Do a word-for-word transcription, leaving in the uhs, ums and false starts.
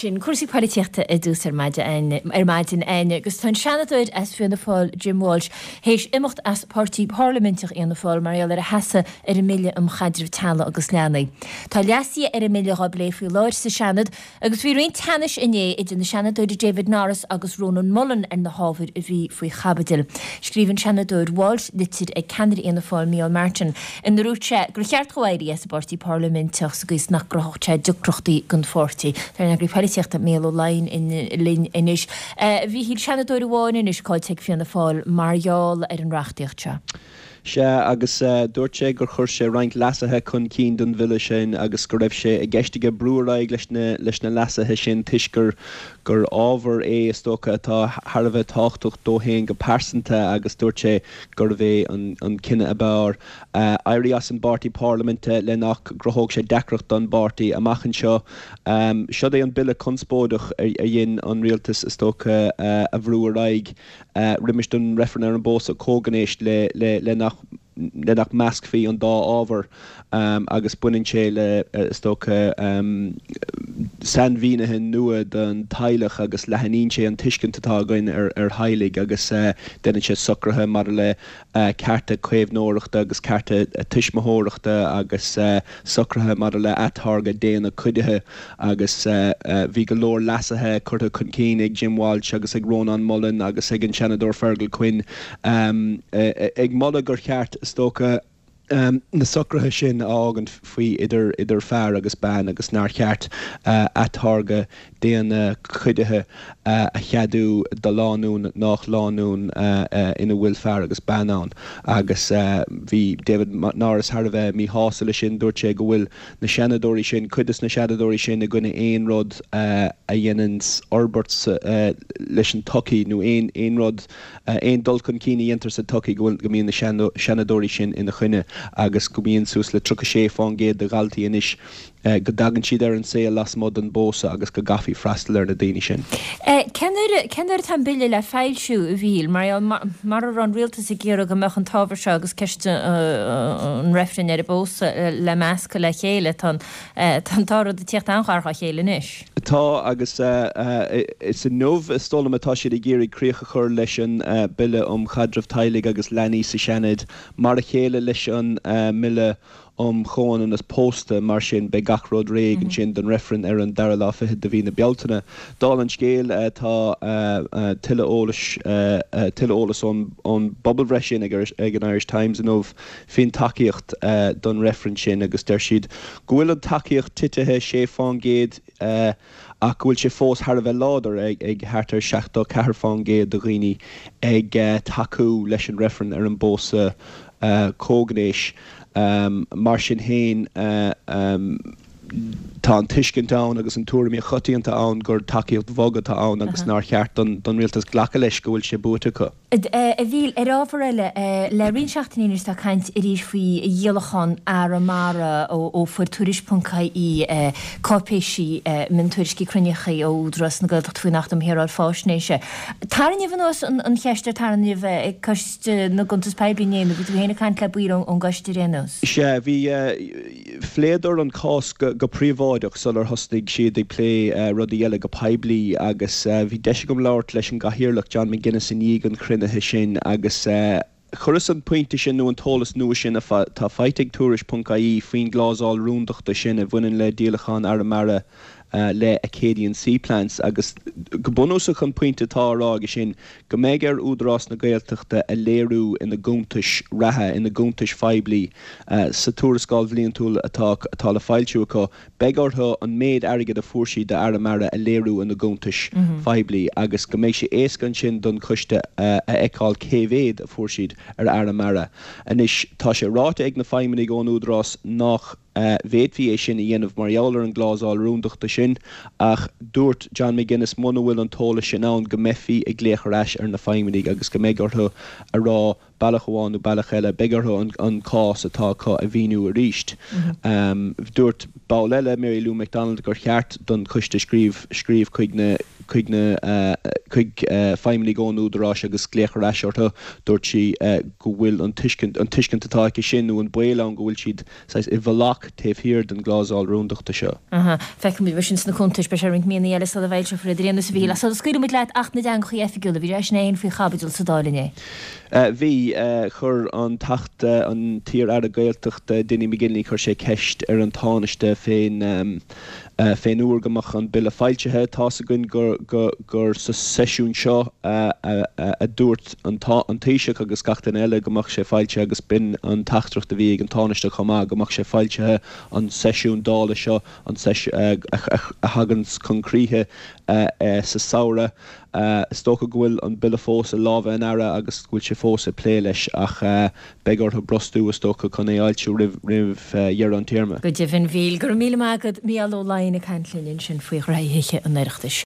Sin cúrsaí polaitíochta i dtús ar maidin ar maidin agus tá an Seanadóir as Fianna Fáil Jim Walsh théis imeacht as páirtí parlaiminteach Fhianna Fáil mar gheall ar a sheasamh ar an mBille um Chaidreamh Teaghlaigh agus Leanaí. Tá leasuithe ar an mBille á bplé faoi láthair sa Seanad agus bhí roinnt teannais inné idir na Seanadóirí David Norris agus Rónán Mullen ar na hábhair a bhí faoi chaibidil. Scríobh an Seanadóir Walsh litir ag ceannaire Fhianna Fáil Micheál Martin inar dhúirt sé gur cheart dó éirí as an bpáirtí parlaiminteach sa gcaoi is nach gcruthódh sé deacrachtaí don pháirtí. Tá polaitíochta Mícheál Ó Laighin linn anois. Bhí seanadóir amháin anois caillte ag Fianna Fáil mar gheall ar an reachtaíocht seo. Sea agus dúirt sé gur chuir sé roinnt leasuithe chun cinn don bhille sin agus go raibh sé i gceist aige brú ar aghaidh leis na leis na leasuithe sin toisc gur gur ábhar é is dócha atá thar a bheith tábhachtach dó féin go pearsanta agus dúirt sé gurbh é an an cinneadh ab fhearr éirí as an bpáirtí parlaiminte le nach gcruthódh sé deacracht don bpáirtí amach anseo. Seo é an bille conspóideach a dhein an rialtas is dócha a bhrú ar aghaidh roimis don reifreann ar an bpósadh comhghnéis le le le nach le nach meascfaí an dá ábhar agus baineann sé le is dócha sainmhínithe nua don teaghlach agus leathnaíonn sé an tuiscint atá againn ar ar theaghlaigh agus déanann sé socruithe maidir le cearta caomhnóireachta agus cearta tuismitheoireachta agus socruithe maidir le atáirgeadh D N A cuidithe agus bhí go leor leasuithe curtha chun cinn ag Jim Walsh agus ag Rónán Mullen agus ag an Seanadóir Fergal Quinn ag moladh gur cheart is dócha na socruithe sin a fhágaint faoi idir idir fear agus bean agus nár cheart atáirgeadh D N A cuidithe a cheadú do lánúin nach lánúin ina bhfuil fear agus bean ann agus bhí David Norris thar a bheith míshásta leis sin dúirt sé go bhfuil na seanadóirí sin cuid de na seanadóirí sin i gcoinne aon rud a dhéanann forbairt leis an tsochaí nó aon aon rud aon dul chun cinn a dhéantar sa tsochaí go bhfuil go mbíonn na seanadóirí sin ina choinne agus go mbíonn suas le tríocha sé faoin gcéad de dhaltaí anois go dtagann siad ar an saol lasmuigh den bpósadh agus go gcaithfí freastal ar na daoine sin. Cén uair atá an bille le foilsiú a Mhíchíl mar mar a raibh an rialtas ag iarraidh go mbeadh an t-ábhar seo agus ceist an reifrinn ar an bpósadh le meascadh le chéile tá an dá rud ag tíocht an-ghar dá chéile anois. Tá agus is inniu is dóigh liom atá siad ag iarraidh críoch a chur leis an bille um chaidreamh teaghlaigh agus leanaí sa Seanad mar a chéile leis an mbille um chomhionannas pósta mar sin beidh gach rud réidh ansin don reifreann ar an dara lá fiche de mhí na Bealtaine. Dála an scéil tá tuilleadh eolais tuilleadh eolas ón ón bpobalbhreith sin ag ag an Irish Times inniu faoin tacaíocht don reifreann sin agus deir siad go bhfuil an tacaíocht titithe sé faoin gcéad ach go bhfuil sé fós thar a bheith láidir ag ag thart ar seachtó ceathair faoin gcéad de dhaoine ag tacú leis an reifreann ar an bpósadh comhghnéis. Mar sin féin tá an tuiscint ann agus an tuairim choitianta ann gur tacaíocht bhog atá ann agus nár cheart don don rialtas glacadh leis go bhfuil sé buaite acu. A Mhíchíl ar ábhar eile le roinnt seachtainí anois tá caint arís faoi dhíolachán Arramara ó fuair Tuairisc ponc ie cáipéisí miontuairiscí cruinnithe ó Údarás na Gaeltachta faoin Acht um Shaoráil Faisnéise. Tarraingíodh anuas an cheist ar tarraingíodh ag Coiste na gCuntas Poiblí inné nó bhí tú féin ag caint le baill ón gcoiste ar aon nós. Sea, bhí phléadar an cás go go príobháideach sular thosnaigh siad ag plé rudaí eile go poiblí agus bhí deis agam labhairt leis an gcathaoirleach John McGuinness i ndiaidh an chruinnithe sin agus chuireas an pointe sin nó an t-eolas nua sin atá faighte ag Tuairisc ponc ie faoin gclásal rúndachta sin a bhaineann le díolachán Arramara le Acadian Seaplants agus go bunúsach an pointe atá á rá aige sin go mbeidh ar Údarás na Gaeltachta a léiriú ina gcuntais reatha ina gcuntais phoiblí sa tuarascáil bhliantúil atá atá le foilsiú acu beidh orthu an méid airgid a fuair siad d'Arramara a léiriú ina gcuntais phoiblí agus go mbeidh sé éasca ansin don choiste a fheiceáil cé mhéad a fuair siad ar Arramara. Anois tá sé ráite ag na feidhmeannaigh ón Údarás nach bhféadfaí é sin a dhéanamh mar gheall ar an gclásal rúndachta sin ach dúirt John McGuinness muna bhfuil an t-eolas sin ann go mbeifí ag glaoch ar ais ar na feidhmeannaigh agus go mbeidh orthu a rá bealach amháin nó bealach eile beidh orthu an, an cás atá acu a mhíniú arís. Um, dúirt ball eile Mary Lou McDonald gur cheart don choiste scríobh scríobh chuig na chuig na chuig feidhmeannaigh ón Údarás agus glaoch ar ais orthu. Dúirt sí go bhfuil an tuiscint an tuiscint atá aici sin nó an baol ann go bhfuil siad saghas i bhfolach taobh thiar den gclásal rúndachta seo. Aha, feicfimid mar sin sna cuntais, beidh sé roinnt míonna eile sula bhfoilseofar iad ar aon nós a Mhíchíl. Ach sula scaoilfidh muid leat, Acht na dTeangacha Oifigiúla, bhí sé sin féin faoi chaibidil sa Dáil inné. Bhí. Chuir an Teachta, an t-iar-aire Gaeltachta Dinny McGinley, chuir sé ceist ar an Tánaiste fén fén uair go mbeadh an bille foilsithe. Tá's againn gur gur sa seisiún seo a dúirt an Taoiseach agus gach duine eile go mbeadh sé foilsithe agus b'in an teachtaireacht a bhí ag an Tánaiste chomh maith, go mbeadh sé foilsithe an seisiún Dála seo, an a thagann chun críche sa samhradh. Is dócha go bhfuil an bille fós i lámha an Aire agus go bhfuil sé fós ag plé leis ach beidh orthu brostú is dócha chun é a fhoilsiú roimh dheireadh an téarma. Go deimhin, a Mhíchíl. Go raibh míle maith agat, Mícheál Ó Laighin ag caint linn ansin faoi ghraithí Thithe an Oireachtais.